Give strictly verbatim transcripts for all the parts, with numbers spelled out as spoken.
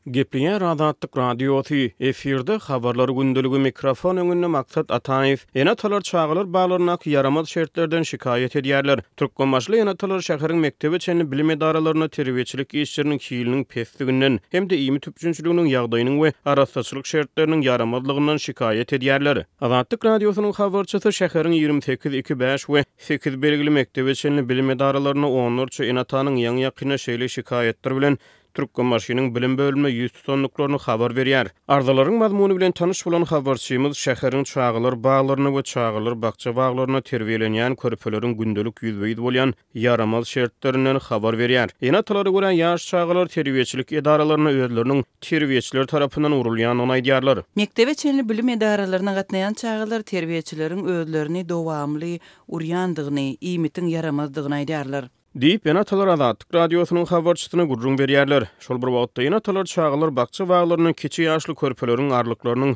Gepleýär Azatlyk Radiosy, efirde Habarlar gündeligi, mikrofon öňünde Maksat Ataýew. Ene-atalar çagalar baglaryndaky ýaramaz şertlerden şikaýat edýärler. Türkmenbaşyly ene-atalar şäheriň mekdebe çenli bilim edaralarynda terbiýeçilik işleriniň hiliniň pesliginden hem-de iýmit üpjünçiliginiň ýagdaýynyň we arassaçylyk şertleriniň ýaramazlygyndan şikaýat edýärler. Azatlyk Radiosynyň habarçysy şäheriň ýigrimi sekiz, iki, bäş we sekiz belgili mekdebe çenli bilim edaralarynda onlarça ene-atanyň ýaňy-ýakynda şeýle şikaýatlar bilen Türkmenbaşynyň bilim bölümine ýüz tutandyklaryny habar berýär. Arzalaryň mazmuny bilen tanyş bolan habarçymyz şäheriň çagalar baglarynda we çagalar bakja-baglarynda terbiýelenýän körpeleriň gündelik ýüzbe-ýüz bolýan ýaramaz şertlerinden habar berýär. Ene-atalara görä, ýaş çagalar terbiýeçilik edaralarynda özleriniň terbiýeçiler tarapyndan urulýandygyny aýdýarlar. Mekdebe çenli bilim edaralaryna gatnaýan çagalar terbiýeçileriň özlerini dowamly urýandygyny, iýmitiň ýaramazdygyny aýdýarlar. Diýip, ene-atalar Azatlyk Radiosynyň habarçysyna gürrüň berýärler. Şol bir wagtda, ene-atalar çagalar bakja-baglarynda kiçi ýaşly körpeleriň arlyklarynyň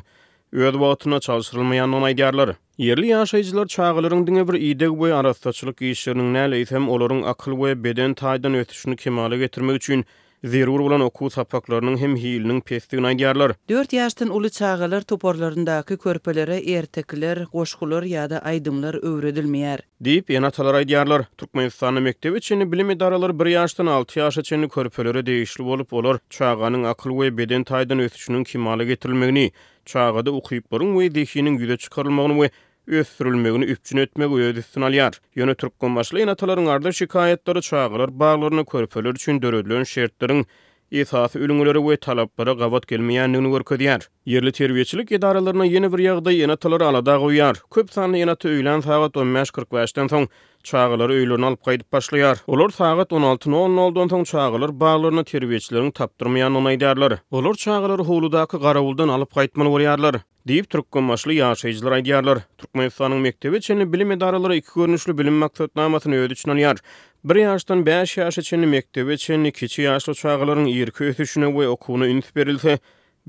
öz wagtynda çalşyrylmaýandygyny aýdýarlar. Ýerli ýaşaýjylar çagalaryň diňe bir ideg we arassaçylyk işleriniň däl, eýsem, olaryň akyl we beden taýdan ösüşini kemala getirmek üçin zerur bolan okuw sapaklarynyň hem hiliniň pesdigini aýdýarlar. Dört ýaşdan uly çagalar toparlaryndaky körpelere ertekiler, goşgular ýa-da aýdymlar öwredilmeýär. Diýip, ene-atalar aýdýarlar. Türkmenistanda mekdebe çenli bilim edaralary bir ýaşdan alty ýaşa çenli körpelere degişli bolup, olar çaganyň akyl we beden taýdan ösüşiniň kemala getirilmegini, çagada ukyplaryň we zehiniň ýüze çykarylmagyny we ösdürilmegini üpjün etmegi öz üstüne alýar. Ýöne türkmenbaşyly ene-atalaryň arza-şikaýatlary çagalar baglarynda körpeler üçin döredilen şertleriň esasy ülňülere we talaplara gabat gelmeýändigini görkezýär. Ýerli terbiýeçilik edaralarynda ýene bir ýagdaý ene-atalary alada goýýar. Köp sanly ene-ata öýlän sagat on bäş kyrk bäşden soň çagalary öýlerine alyp gaýdyp başlaýar. Olar sagat on alty nol noldan soň çagalar baglaryna terbiýeçileriň tapdyrmaýandygyny aýdýarlar. Olar çagalary howludaky garawuldan alyp gaýtmaly bolýarlar. Diýip, türkmenbaşyly ýaşaýjylar aýdýarlar. Türkmenistanyň mekdebe çenli bilim edaralary iki görnüşli bilim maksatnamasyny öz içine alýar. Bir ýaşdan bäş ýaşa çenli mekdebe çenli kiçi ýaşly çagalaryň irki ösüşine we okuwyna üns berilse,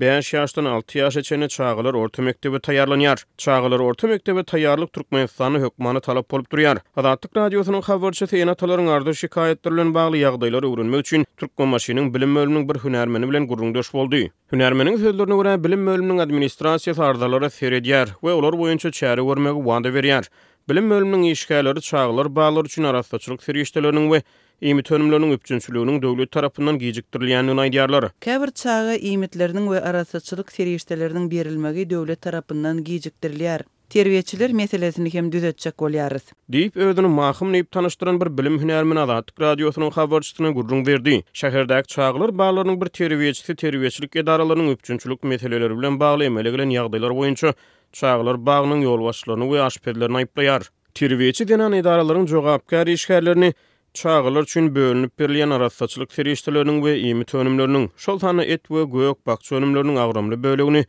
bäş ýaşdan alty ýaşa çenli çagalar orta mekdebe taýýarlanýar. Çagalar orta mekdebe taýýarlyk Türkmenistanda hökmany talap bolup durýar. Azatlyk Radiosynyň habarçysy ene-atalaryň arza-şikaýatlary bilen bagly ýagdaýlary öwrenmek üçin Türkmenbaşynyň bilim bölüminiň bir hünärmeni bilen gürrüňdeş boldy. Hünärmeniň sözlerine görä, bilim bölüminiň administrasiýasy arzalara seredýär we olar boýunça çäre görmegi wada berýär. Bilim bölüminiň işgärleri çagalar baglary üçin arassaçylyk serişdeleriniň we iýmit önümleriniň üpjünçiliginiň döwlet tarapyndan gijikdirilýändigini aýdýarlar. Käbir çaga iýmitleriniň we arassaçylyk serişdeleriniň berilmegi döwlet tarapyndan gijikdirilýär. Terbiýeçiler meselesini hem düzetjek bolýarys. Diýip, özüni Mahym diýip tanyşdyran bir bilim hünärmeni Azatlyk Radiosynyň habarçysyna gürrüň berdi. Şäherdäki çagalar baglarynyň bir terbiýeçisi terbiýeçilik edaralarynyň üpjünçilik meseleleri bilen bagly emele gelen ýagdaýlar boýunça çagalar bagynyň ýolbaşçylaryny we aşpezlerini aýyplaýar. Terbiýeçi zenan edaralaryň jogapkär işgärlerini çagalar üçin bölünip berilýän arassaçylyk serişdeleriniň we iýmit önümleriniň, şol sanda et we gök-bakja önümleriniň agramly bölegini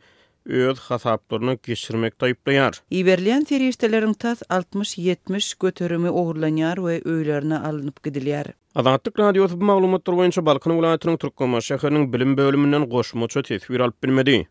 öz hasaplaryna geçirmekde aýyplaýar. Iberilýän serişdeleriň tas altmyş-ýetmiş göterimi ogurlanýar we öýlerine alnyp gidilýär. Azatlyk Radiosy bu maglumatlar boýunça Balkan welaýatynyň Türkmenbaşy şäheriniň bilim bölüminden goşmaça teswir alyp bilmedi.